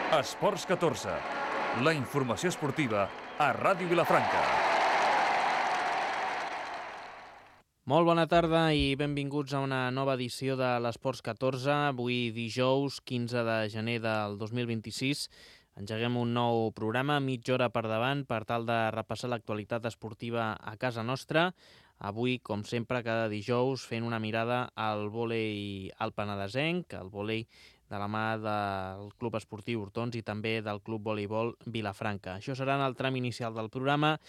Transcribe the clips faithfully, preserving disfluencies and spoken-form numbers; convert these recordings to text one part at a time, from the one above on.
Esports catorze, la informació esportiva a Ràdio Vilafranca. Molt bona tarda i benvinguts a una nova edició de l'Esports catorze. Avui dijous, quinze de gener del dos mil vint-i-sis. Engeguem un nou programa, mitja hora per davant, per tal de repassar l'actualitat esportiva a casa nostra. Avui, com sempre, cada dijous, fent una mirada al vòlei al penedesenc, al vòlei de la mà del Club Esportiu Hortons i també del Club Voleibol Vilafranca. Això serà en el tram inicial del programa.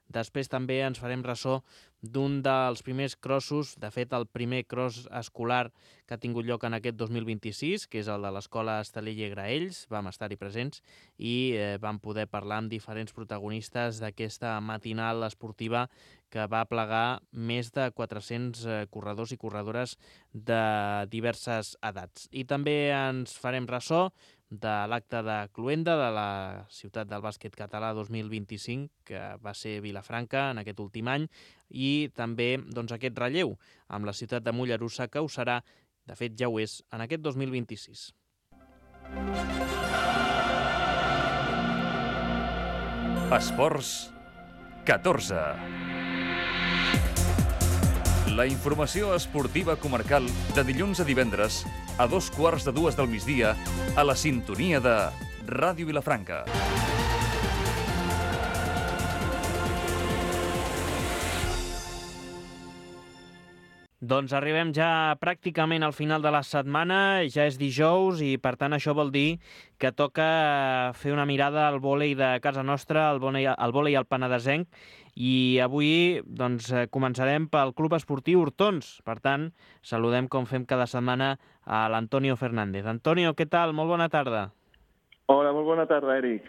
Després també ens farem ressò d'un dels primers crossos, de fet el primer cross escolar que ha tingut lloc en aquest dos mil vint-i-sis, que és el de l'Escola Estalella i Graells. Vam estar-hi presents i eh, vam poder parlar amb diferents protagonistes d'aquesta matinal esportiva que va plegar més de quatre-cents eh, corredors i corredores de diverses edats. I també ens farem ressò de l'acte de cloenda de la Ciutat del Bàsquet Català dos mil vint-i-cinc, que va ser Vilafranca en aquest últim any, i també doncs, aquest relleu amb la ciutat de Mollerussa, que ho serà, de fet ja ho és, en aquest dos mil vint-i-sis. Esports catorze. La informació esportiva comarcal de dilluns a divendres a dos quarts de dues del migdia a la sintonia de Ràdio Vilafranca. Doncs arribem ja pràcticament al final de la setmana, ja és dijous i per tant això vol dir que toca fer una mirada al vòlei de casa nostra, al vòlei, al vòlei al penedesenc, i avui doncs, començarem pel Club Esportiu Hortons. Per tant, saludem com fem cada setmana a l'Antonio Fernández. Antonio, què tal? Molt bona tarda. Hola, molt bona tarda, Eric.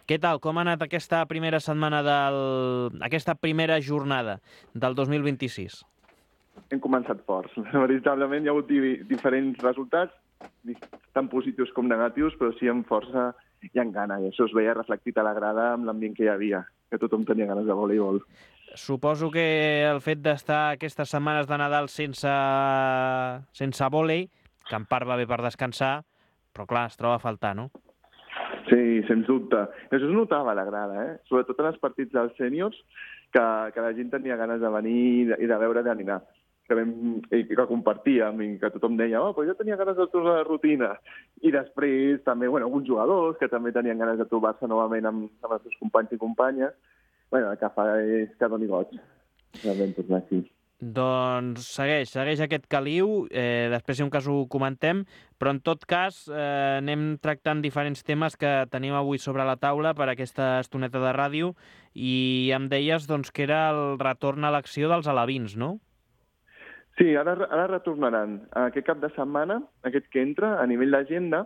Què tal? Com ha anat aquesta primera setmana del... aquesta primera jornada del dos mil vint-i-sis? Hem començat forts. Veritablement hi ha hagut diferents resultats, tant positius com negatius, però sí amb força i amb gana. I això es veia reflectit a la grada amb l'ambient que hi havia, que tothom tenia ganes de voleibol. Suposo que el fet d'estar aquestes setmanes de Nadal sense, sense vòlei, que en part va bé per descansar, però clar, es troba a faltar, no? Sí, sens dubte. Això es notava a la grada, eh? Sobretot en els partits dels sèniors, que, que la gent tenia ganes de venir i de veure d'aninar. Que, vam, que compartíem i que tothom deia oh, però jo tenia ganes de tornar a la rutina. I després també bueno, alguns jugadors que també tenien ganes de trobar-se novament amb, amb els seus companys i companyes. Bueno, el que fa és que doni goig. Vam tornar aquí. Doncs segueix, segueix aquest caliu, eh, després si un cas ho comentem, però en tot cas eh, anem tractant diferents temes que tenim avui sobre la taula per aquesta estoneta de ràdio i em deies doncs, que era el retorn a l'acció dels alevins, no? Sí, ara, ara retornaran. Aquest cap de setmana, aquest que entra, a nivell d'agenda,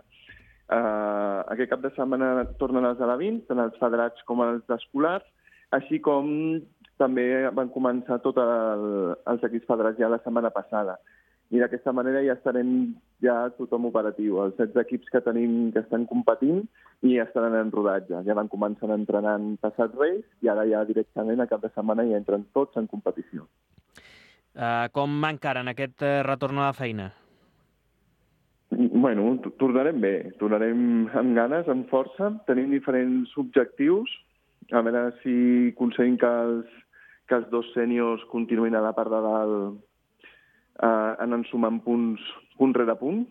eh, aquest cap de setmana tornen els alevins, tant els federats com els escolars, així com també van començar tots el, els equips federats ja la setmana passada. I d'aquesta manera ja estarem ja tothom operatiu. Els setze equips que tenim que estan competint i ja estaran en rodatge. Ja van començar entrenant passat Reis i ara ja directament a cap de setmana ja entren tots en competició. Uh, com va encara en aquest uh, retorn a la feina? Bueno, tornarem bé. Tornarem amb ganes, amb força. Tenim diferents objectius. A veure si aconseguim que els, que els dos sèniors continuïn a la part de dalt eh, anant sumant punts punt rere punt,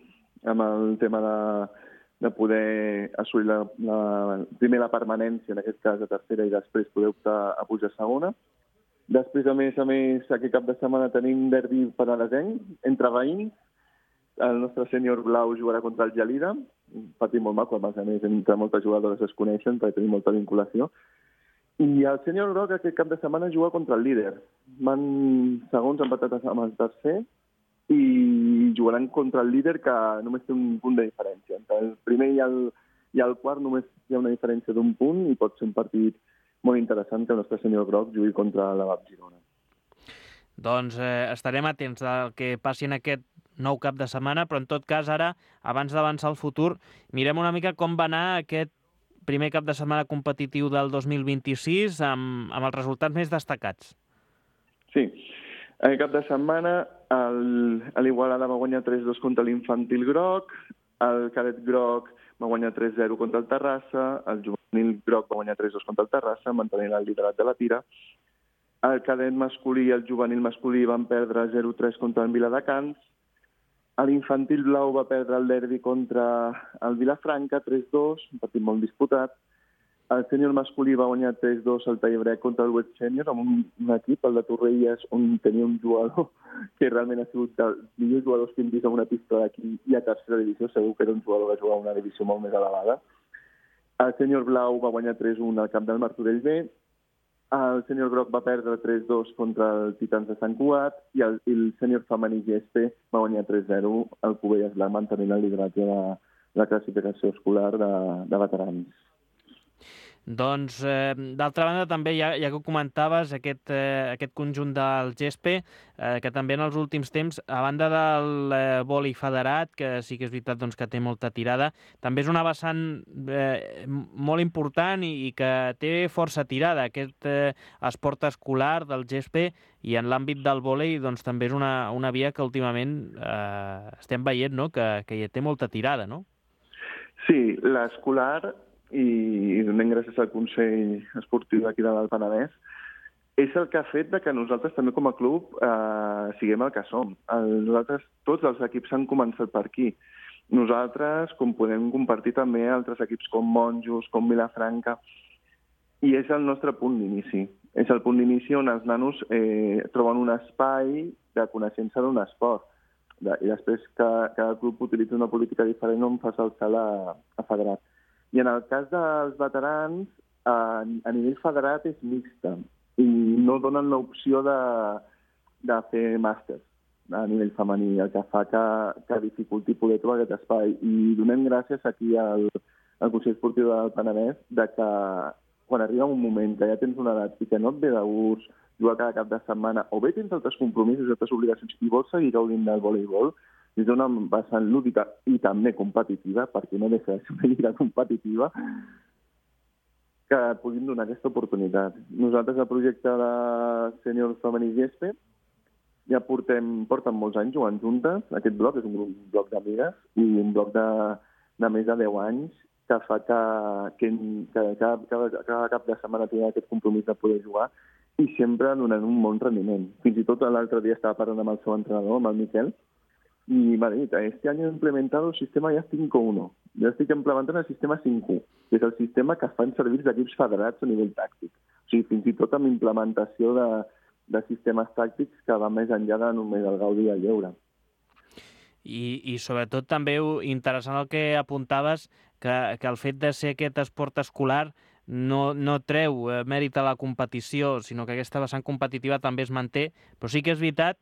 amb el tema de, de poder assolir la, la, primer la permanència, en aquest cas a tercera, i després poder optar a pujar a segona. Després, a més a més, aquest cap de setmana tenim derbi penedesenc entre veïns. El nostre sènior blau jugarà contra el Gelida, un partit molt maco, a més, entre moltes jugadores es coneixen perquè tenim molta vinculació. I el sènior groc aquest cap de setmana juga contra el líder. Van segons empatats amb el tercer i jugaran contra el líder, que només té un punt de diferència. Entre el primer i el, i el quart només hi ha una diferència d'un punt i pot ser un partit molt interessant que el nostre sènior groc jugui contra la V A P Girona. Doncs eh, estarem atents al que passi en aquest nou cap de setmana, però en tot cas ara, abans d'avançar al futur, mirem una mica com va anar aquest primer cap de setmana competitiu del dos mil vint-i-sis amb, amb els resultats més destacats. Sí, aquest cap de setmana l'Igualada va guanyar tres dos contra l'Infantil Groc, El cadet groc va guanyar tres zero contra el Terrassa, el juvenil groc va guanyar tres dos contra el Terrassa, mantenint el liderat de la tira. El cadet masculí i el juvenil masculí van perdre zero tres contra el Viladecans. L'infantil blau va perdre el derbi contra el Vilafranca, tres dos, un partit molt disputat. El sènior masculí va guanyar tres dos al Tallebret contra el West Sènior, amb un, un equip, el de Torrelles, on tenia un jugador que realment ha sigut dels millors jugadors que hem vist en una pista d'aquí i a tercera divisió. Segur que era un jugador que jugava a una divisió molt més elevada. El sènior blau va guanyar tres un al camp del Martorell B. El sènior groc va perdre tres dos contra el Titans de Sant Cugat i el, el sènior femení G S P va guanyar tres zero al Cubelles Blanc, mantenint el lideratge de la classificació escolar de, de veterans. Doncs, eh, d'altra banda, també, ja, ja que ho comentaves, aquest, eh, aquest conjunt del G S P, eh, que també en els últims temps, a banda del eh, vòlei federat, que sí que és veritat doncs, que té molta tirada, també és una vessant eh, molt important i, i que té força tirada, aquest eh, esport escolar del G S P, i en l'àmbit del vòlei doncs, també és una, una via que últimament eh, estem veient, no?, que, que hi té molta tirada, no? Sí, l'escolar, i donem gràcies al Consell Esportiu d'aquí de l'Alt Penedès, és el que ha fet que nosaltres també com a club eh, siguem el que som. El, nosaltres, tots els equips han començat per aquí. Nosaltres, com podem compartir també altres equips com Monjos, com Vilafranca, i és el nostre punt d'inici. És el punt d'inici on els nanos eh, troben un espai de coneixença d'un esport. De, I després cada, cada club utilitza una política diferent on fa el salt a, a federat. I en el cas dels veterans, a, a nivell federat és mixta i no donen l'opció de, de fer màsters a nivell femení, el que fa que, que dificulti poder trobar aquest espai. I donem gràcies aquí al, al Consell Esportiu del Penedès de que quan arriba un moment que ja tens una edat i que no et ve de gust jugar cada cap de setmana, o bé tens altres compromisos, altres obligacions i vols seguir gaudint del voleibol, des d'una vessant lúdica i també competitiva, perquè no deixa de ser una lliga competitiva, que puguin donar aquesta oportunitat. Nosaltres, el projecte de sènior femení G S P, ja portem, porten molts anys jugant juntes. Aquest bloc és un grup, un bloc d'amigues i un bloc de, de més de deu anys que fa que, que, que cada, cada, cada cap de setmana tingui aquest compromís de poder jugar i sempre donant un bon rendiment. Fins i tot l'altre dia estava parlant amb el seu entrenador, amb el Miquel, y me ha dicho, este año he implementado el sistema ja cinc uno. Jo estic implementant el sistema cinc u, que és el sistema que fan servir els equips federats a nivell tàctic. O sigui, fins i tot amb implementació de, de sistemes tàctics que va més enllà de només el gaudi i el lleure. I, i sobretot també interessant el que apuntaves, que, que el fet de ser aquest esport escolar no, no treu eh, mèrit a la competició, sinó que aquesta vessant competitiva també es manté, però sí que és veritat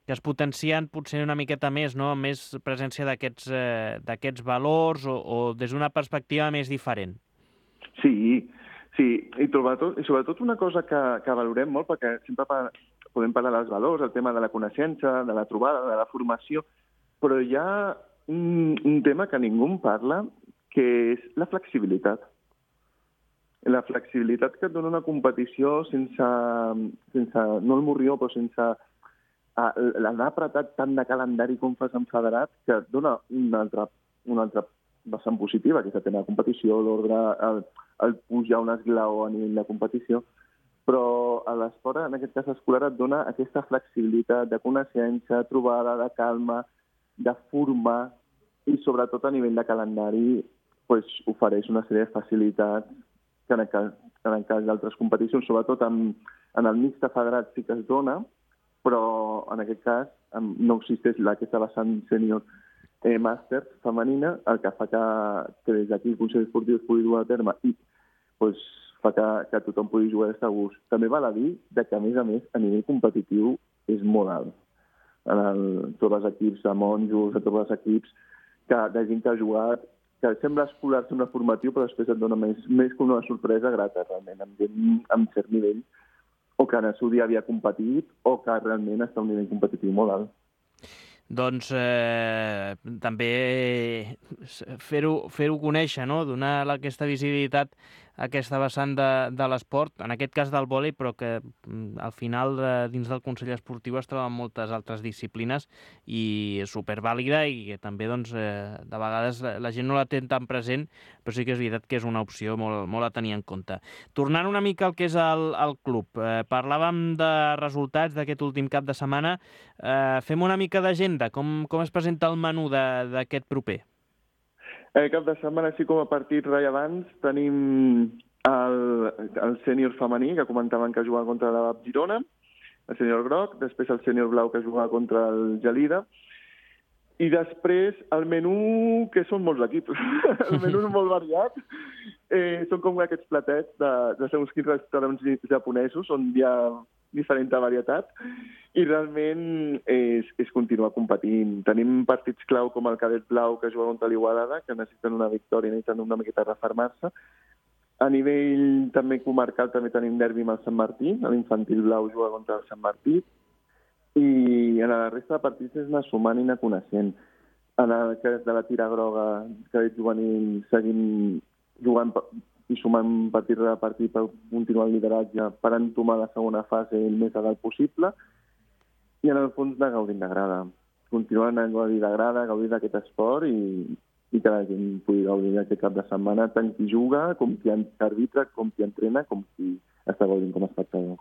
que es potencien potser una miqueta més, no?, més presència d'aquests eh, d'aquests valors o, o des d'una perspectiva més diferent. Sí, sí, i sobretot, i sobretot una cosa que, que valorem molt, perquè sempre pa, podem parlar dels valors, el tema de la coneixença, de la trobada, de la formació, però hi ha un, un tema que ningú en parla, que és la flexibilitat. La flexibilitat que et dona una competició sense, sense no el morrió, però sense l'anar apretat tant de calendari com fas en federat, que et dona una altra, una altra vessant positiva, que és el tema de competició, l'ordre, el, el pujar un esglaó a nivell de competició, però a l'esport, en aquest cas escolar, et dona aquesta flexibilitat de coneixença, trobada, de calma, de formar, i sobretot a nivell de calendari pues, ofereix una sèrie de facilitats que en el cas, en el cas d'altres competicions, sobretot en, en el mixte federat sí que es dona, però en aquest cas no existeix aquesta vessant sènior eh, màster femenina, el que fa que, que des d'aquí el Consell Esportiu es pugui dur a terme i pues, fa que, que tothom pugui jugar des de gust. També val a dir que, a més a més, a nivell competitiu és molt alt. En el, tots els equips de monjos, tots els equips que, de gent que ha jugat, que sembla escolar, sembla formatiu, però després et dona més, més que una sorpresa grata, realment, amb gent amb cert nivell, o que en el seu dia havia competit, o que realment està a un nivell competitiu molt alt. Doncs eh, també fer-ho fer-ho conèixer, no?, donar aquesta visibilitat aquesta vessant de, de l'esport, en aquest cas del vòlei, però que al final dins del Consell Esportiu es troben moltes altres disciplines i supervàlida i que també doncs, eh, de vegades la gent no la té tan present, però sí que és veritat que és una opció molt, molt a tenir en compte. Tornant una mica al que és el, el club, eh, parlàvem de resultats d'aquest últim cap de setmana, eh, fem una mica d'agenda, com, com es presenta el menú d'aquest proper? El cap de setmana, així com a partits rellevants, tenim el, el sènior femení, que comentaven que jugava contra la Girona, el sènior groc, després el sènior blau, que jugava contra el Gelida, i després el menú, que són molts equips. El menú és molt variat. Eh, són com aquests platets de, de segons quins restaurants japonesos, on hi ha diferent varietat, i realment és, és continuar competint. Tenim partits clau com el cadet blau, que juga contra l'Igualada, que necessiten una victòria, necessiten una miqueta refermar-se. A nivell també comarcal també tenim derbi amb el Sant Martí, l'infantil blau juga contra el Sant Martí, i en la resta de partits és anar sumant i anar coneixent. En el cas de la tira groga, cadet juvenil, seguim jugant i sumant partit rere partit per continuar el lideratge, per entomar la segona fase el més a dalt possible, i en el fons anar gaudint de grada. Continuar anant a gaudir de grada, gaudir d'aquest esport i, i que la gent pugui gaudir d'aquest cap de setmana, tant qui juga, com qui arbitra, com qui entrena, com qui està gaudint com a espectador.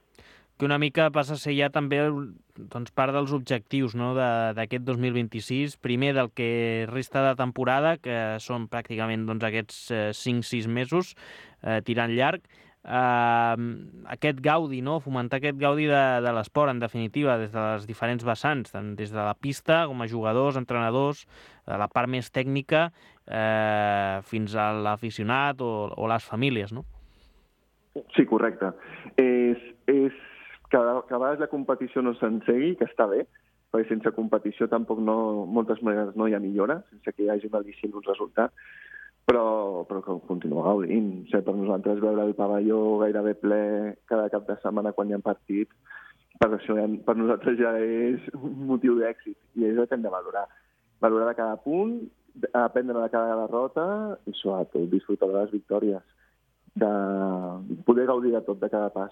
Que una mica passa a ser ja també doncs, part dels objectius, no?, d'aquest dos mil vint-i-sis, primer del que resta de temporada, que són pràcticament doncs, aquests eh, cinc sis mesos eh, tirant llarg, eh, aquest gaudi, no?, fomentar aquest gaudi de, de l'esport, en definitiva, des de les diferents vessants, tant des de la pista, com a jugadors, entrenadors, de la part més tècnica, eh, fins a l'aficionat o, o les famílies, no? Sí, correcte. És... és... que a vegades la competició no s'ensegui, que està bé, perquè sense competició tampoc no, moltes vegades no hi ha millora, sense que hi hagi un al·licient d'un resultat, però, però que continua gaudint. O sigui, per nosaltres veure el pavelló gairebé ple cada cap de setmana quan hi ha partits, per, això, per nosaltres ja és un motiu d'èxit, i és el que hem de valorar. Valorar de cada punt, aprendre de cada derrota i sobretot disfrutar de les victòries, de poder gaudir de tot, de cada pas.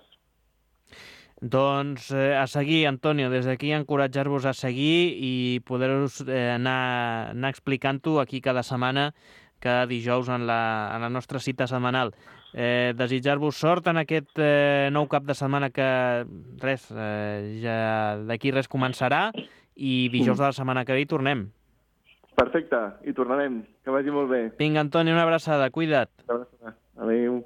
Doncs eh, a seguir, Antonio, des d'aquí encoratjar-vos a seguir i poder-vos eh, anar, anar explicant-ho aquí cada setmana, cada dijous en la, en la nostra cita setmanal. Eh, desitjar-vos sort en aquest eh, nou cap de setmana que res, eh, ja d'aquí res començarà i dijous de la setmana que ve hi tornem. Perfecte, hi tornarem. Que vagi molt bé. Vinga, Antonio, una abraçada, cuida't. Una abraçada. Adéu.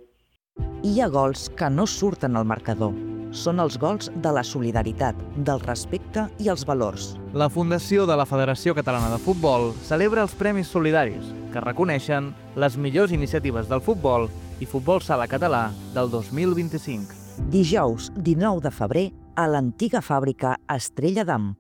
Hi ha gols que no surten al marcador. Són els gols de la solidaritat, del respecte i els valors. La Fundació de la Federació Catalana de Futbol celebra els Premis Solidaris, que reconeixen les millors iniciatives del futbol i futbol sala català del dos mil vint-i-cinc. Dijous, dinou de febrer, a l'antiga fàbrica Estrella d'Am.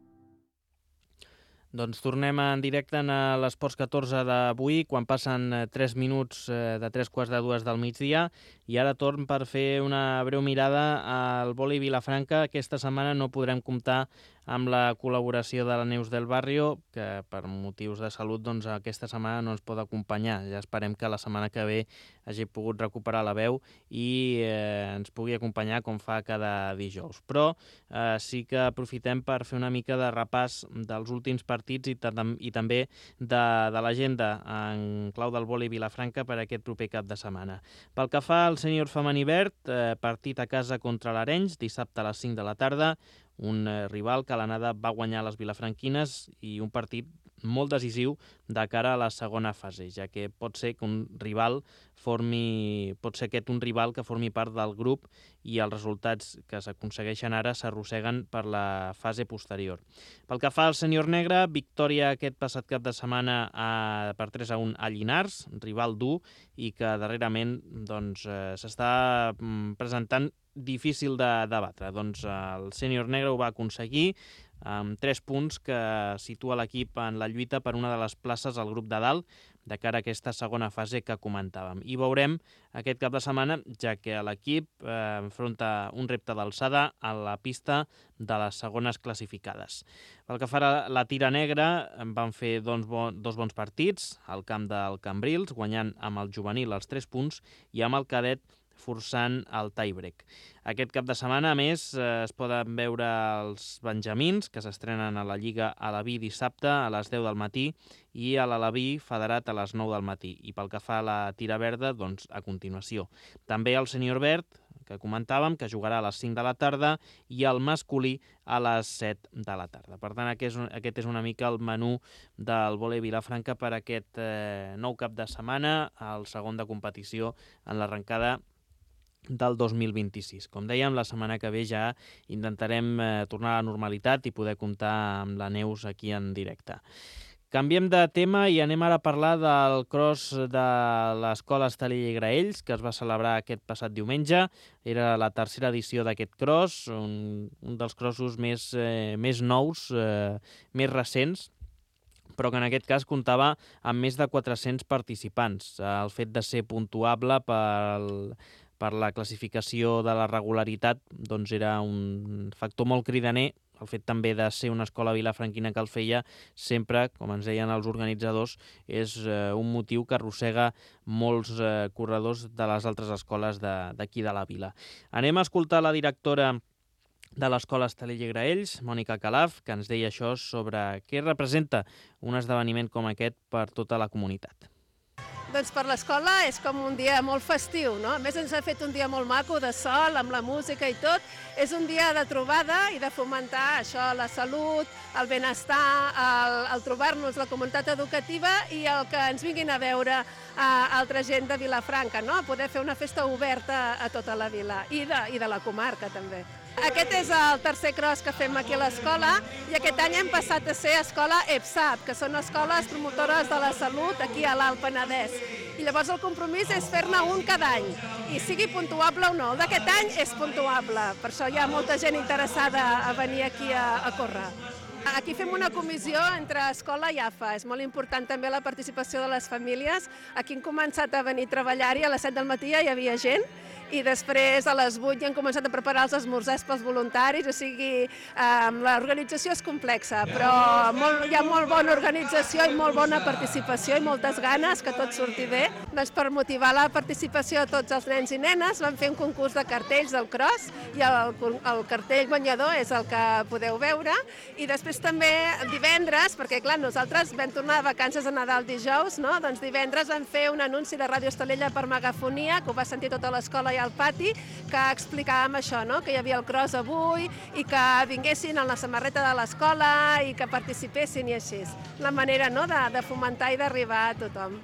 Doncs tornem en directe a l'Esports catorze d'avui, quan passen tres minuts de tres quarts de dues del migdia, i ara torn per fer una breu mirada al vòlei Vilafranca. Aquesta setmana no podrem comptar amb la col·laboració de la Neus del Barrio, que per motius de salut doncs, aquesta setmana no ens pot acompanyar. Ja esperem que la setmana que ve hagi pogut recuperar la veu i eh, ens pugui acompanyar com fa cada dijous. Però eh, sí que aprofitem per fer una mica de repàs dels últims partits i, i també de, de l'agenda en clau del vòlei Vilafranca per aquest proper cap de setmana. Pel que fa al sènior femení verd, eh, partit a casa contra l'Arenys, dissabte a les cinc de la tarda, un rival que a l'anada va guanyar les vilafranquines i un partit molt decisiu de cara a la segona fase, ja que pot ser que un rival formi, pot ser aquest un rival que formi part del grup i els resultats que s'aconsegueixen ara s'arrosseguen per la fase posterior. Pel que fa al sènior negre, victòria aquest passat cap de setmana a, per tres a un a Llinars, rival dur i que darrerament doncs, eh, s'està presentant difícil de, de batre. Doncs el sènior negre ho va aconseguir amb tres punts que situa l'equip en la lluita per una de les places al grup de dalt de cara a aquesta segona fase que comentàvem. I veurem aquest cap de setmana, ja que l'equip eh, enfronta un repte d'alçada a la pista de les segones classificades. Pel que fa a la tira negra, van fer dos, bon, dos bons partits al camp del Cambrils, guanyant amb el juvenil els tres punts i amb el cadet forçant el tie-break. Aquest cap de setmana, a més, es poden veure els benjamins, que s'estrenen a la Lliga Aleví dissabte a les deu del matí i a l'Aleví federat a les nou del matí. I pel que fa a la tira verda, doncs a continuació. També el sènior verd, que comentàvem, que jugarà a les cinc de la tarda, i el masculí a les set de la tarda. Per tant, aquest és, aquest és una mica el menú del vòlei Vilafranca per aquest eh, nou cap de setmana, al segon de competició en l'arrencada del dos mil vint-i-sis. Com dèiem, la setmana que ve ja intentarem eh, tornar a la normalitat i poder comptar amb la Neus aquí en directe. Canviem de tema i anem ara a parlar del cross de l'Escola Estalella i Graells, que es va celebrar aquest passat diumenge. Era la tercera edició d'aquest cross, un, un dels crossos més, eh, més nous, eh, més recents, però que en aquest cas comptava amb més de quatre-cents participants. El fet de ser puntuable pel, per la classificació de la regularitat doncs era un factor molt cridaner. El fet també de ser una escola vilafranquina que el feia sempre, com ens deien els organitzadors, és eh, un motiu que arrossega molts eh, corredors de les altres escoles d'aquí de, de la vila. Anem a escoltar la directora de l'Escola Estalella i Graells, Mònica Calaf, que ens deia això sobre què representa un esdeveniment com aquest per tota la comunitat. Doncs per l'escola és com un dia molt festiu, no? A més ens ha fet un dia molt maco de sol, amb la música i tot. És un dia de trobada i de fomentar això, la salut, el benestar, el, el trobar-nos la comunitat educativa i el que ens vinguin a veure a altra gent de Vilafranca, no? Poder fer una festa oberta a tota la vila i de, i de la comarca també. Aquest és el tercer cross que fem aquí a l'escola i aquest any hem passat a ser escola EPSAP, que són escoles promotores de la salut aquí a l'Alt Penedès. I llavors el compromís és fer-ne un cada any, i sigui puntuable o no. El d'aquest any és puntuable, per això hi ha molta gent interessada a venir aquí a, a córrer. Aquí fem una comissió entre escola i A F A. És molt important també la participació de les famílies. Aquí hem començat a venir a treballar-hi, a les set del matí ja hi havia gent, i després a les vuit ja hem començat a preparar els esmorzars pels voluntaris, o sigui, eh, l'organització és complexa, però molt, hi ha molt bona organització i molt bona participació i moltes ganes que tot surti bé. Doncs per motivar la participació de tots els nens i nenes vam fer un concurs de cartells del cross i el, el cartell guanyador és el que podeu veure, i després també divendres, perquè clar, nosaltres vam tornar de vacances a Nadal dijous, no? Doncs divendres vam fer un anunci de Ràdio Estalella per megafonia, que ho va sentir tota l'escola i al pati, que explicàvem això, no? Que hi havia el cross avui i que vinguessin amb la samarreta de l'escola i que participessin i així. La manera, no?, de, de fomentar i d'arribar a tothom.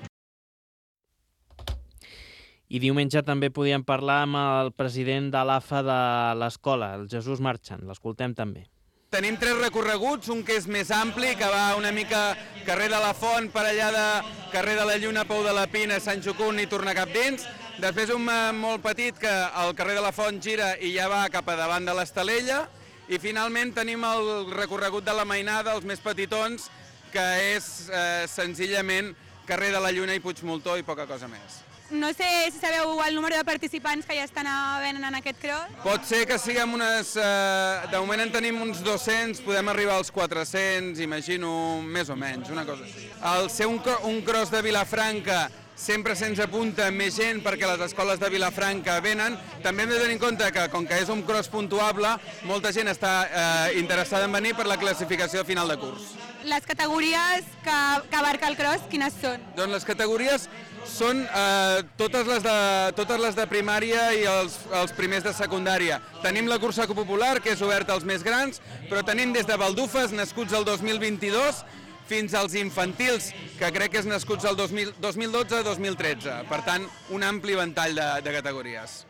I diumenge també podíem parlar amb el president de l'A F A de l'escola, el Jesús Marchant. L'escoltem també. Tenim tres recorreguts, un que és més ampli, que va una mica carrer de la Font, per allà de carrer de la Lluna, Pou de la Pina, Sant Jocund i tornar cap dins. Després un molt petit que al carrer de la Font gira i ja va cap a davant de l'Estalella. I finalment tenim el recorregut de la Mainada, els més petitons, que és eh, senzillament carrer de la Lluna i Puigmoltó i poca cosa més. No sé si sabeu el número de participants que ja estan venent en aquest cross. Pot ser que siguem unes... Eh, de moment en tenim uns dos-cents, podem arribar als quatre-cents, imagino, més o menys, una cosa així. Al ser un, un cross de Vilafranca sempre se'ns apunta més gent perquè les escoles de Vilafranca venen. També hem de tenir en compte que, com que és un cross puntuable, molta gent està eh, interessada en venir per la classificació final de curs. Les categories que, que abarca el cross, quines són? Doncs les categories són eh, totes, les de, totes les de primària i els, els primers de secundària. Tenim la cursa popular, que és oberta als més grans, però tenim des de baldufes, nascuts el dos mil vint-i-dos, fins als infantils, que crec que és nascuts el dos mil dotze a dos mil tretze. Per tant, un ampli ventall de, de categories.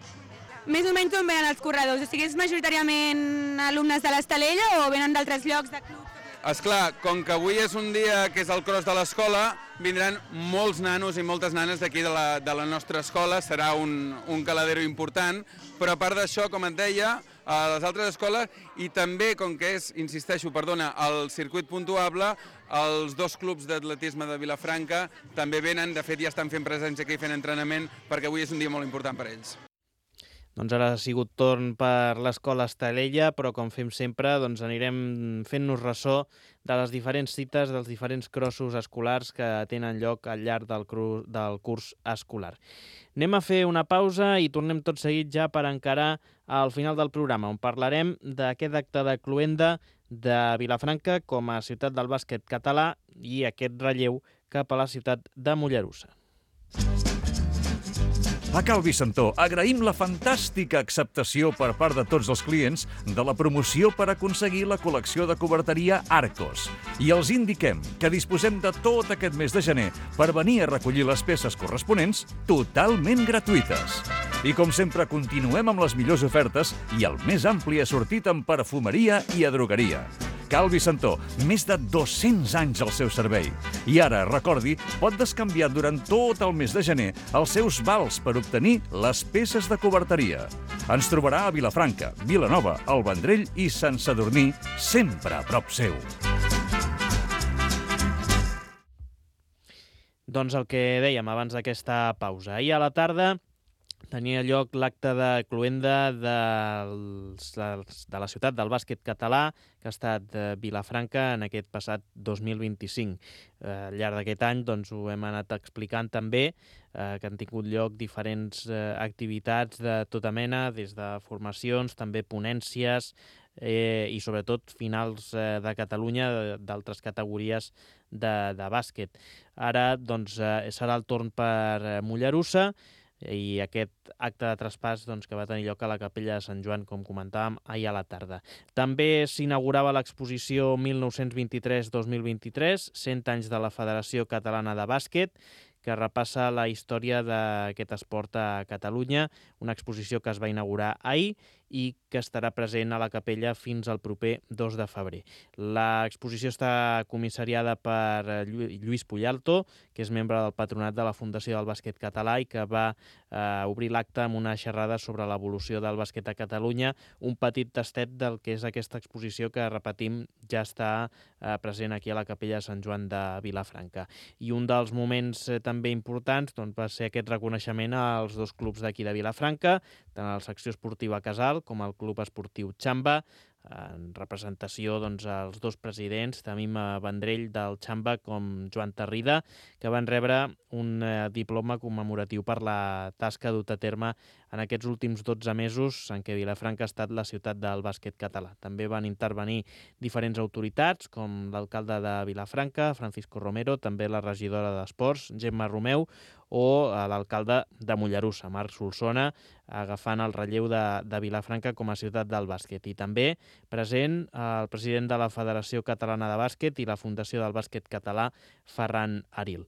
Més o menys on venen els corredors? O sigui, és majoritàriament alumnes de l'Estalella o venen d'altres llocs de clubs? Esclar, com que avui és un dia que és el cross de l'escola, vindran molts nanos i moltes nanes d'aquí de, la, de la nostra escola, serà un, un caladero important, però a part d'això, com et deia, a les altres escoles, i també, com que és, insisteixo, perdona, el circuit puntuable, els dos clubs d'atletisme de Vilafranca també venen, de fet ja estan fent presència aquí fent entrenament, perquè avui és un dia molt important per ells. Doncs ara ha sigut torn per l'Escola Estalella, però com fem sempre doncs anirem fent-nos ressò de les diferents cites dels diferents crossos escolars que tenen lloc al llarg del, cru, del curs escolar. Anem a fer una pausa i tornem tot seguit ja per encarar al final del programa, on parlarem d'aquest acte de cloenda de Vilafranca com a ciutat del bàsquet català i aquest relleu cap a la ciutat de Mollerussa. A Cal Vicentó agraïm la fantàstica acceptació per part de tots els clients de la promoció per aconseguir la col·lecció de coberteria Arcos. I els indiquem que disposem de tot aquest mes de gener per venir a recollir les peces corresponents totalment gratuïtes. I com sempre continuem amb les millors ofertes i el més ampli assortit en perfumeria i a drogueria. Cal Vicentó, més de dos-cents anys al seu servei. I ara, recordi, pot descanviar durant tot el mes de gener els seus vals per obtenir les peces de coberteria. Ens trobarà a Vilafranca, Vilanova, El Vendrell i Sant Sadurní, sempre a prop seu. Doncs el que dèiem abans d'aquesta pausa. Ahir a la tarda tenia lloc l'acte de cloenda de, de la ciutat del bàsquet català, que ha estat Vilafranca en aquest passat dos mil vint-i-cinc. Al llarg d'aquest any doncs, ho hem anat explicant també, eh, que han tingut lloc diferents eh, activitats de tota mena, des de formacions, també ponències eh, i sobretot finals eh, de Catalunya d'altres categories de, de bàsquet. Ara doncs, eh, serà el torn per Mollerussa, i aquest acte de traspàs doncs, que va tenir lloc a la Capella de Sant Joan, com comentàvem, ahir a la tarda. També s'inaugurava l'exposició mil nou-cents vint-i-tres dos mil vint-i-tres, cent anys de la Federació Catalana de Bàsquet, que repassa la història d'aquest esport a Catalunya, una exposició que es va inaugurar ahir i que estarà present a la capella fins al proper dos de febrer. L'exposició està comissariada per Lluís Pullalto, que és membre del patronat de la Fundació del Bàsquet Català i que va eh, obrir l'acte amb una xerrada sobre l'evolució del bàsquet a Catalunya, un petit tastet del que és aquesta exposició que, repetim, ja està eh, present aquí a la capella de Sant Joan de Vilafranca. I un dels moments eh, també importants doncs, va ser aquest reconeixement als dos clubs d'aquí de Vilafranca, tant a la secció esportiva Casal com al Club Esportiu Xamba, en representació doncs, als dos presidents, Tamim Vendrell del Xamba com Joan Tarrida, que van rebre un eh, diploma commemoratiu per la tasca dut a terme en aquests últims dotze mesos en què Vilafranca ha estat la ciutat del bàsquet català. També van intervenir diferents autoritats, com l'alcalde de Vilafranca, Francisco Romero, també la regidora d'Esports, Gemma Romeu, o l'alcalde de Mollerussa, Marc Solsona, agafant el relleu de, de Vilafranca com a ciutat del bàsquet. I també present el president de la Federació Catalana de Bàsquet i la Fundació del Bàsquet Català, Ferran Aril.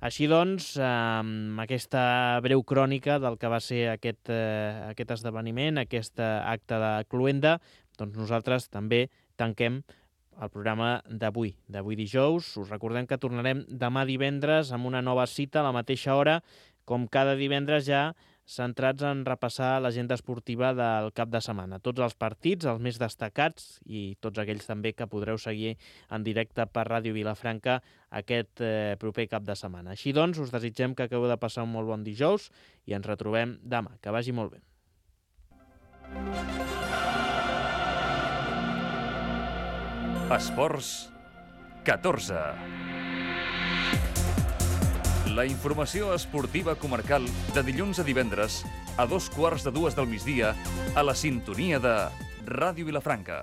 Així doncs, amb aquesta breu crònica del que va ser aquest, eh, aquest esdeveniment, aquest acte de cloenda, doncs nosaltres també tanquem el programa d'avui, d'avui dijous. Us recordem que tornarem demà divendres amb una nova cita a la mateixa hora, com cada divendres ja centrats en repassar l'agenda esportiva del cap de setmana. Tots els partits, els més destacats i tots aquells també que podreu seguir en directe per Ràdio Vilafranca aquest eh, proper cap de setmana. Així doncs, us desitgem que acabeu de passar un molt bon dijous i ens retrobem demà. Que vagi molt bé. Esports catorze. La informació esportiva comarcal de dilluns a divendres a dos quarts de dues del migdia a la sintonia de Ràdio Vilafranca.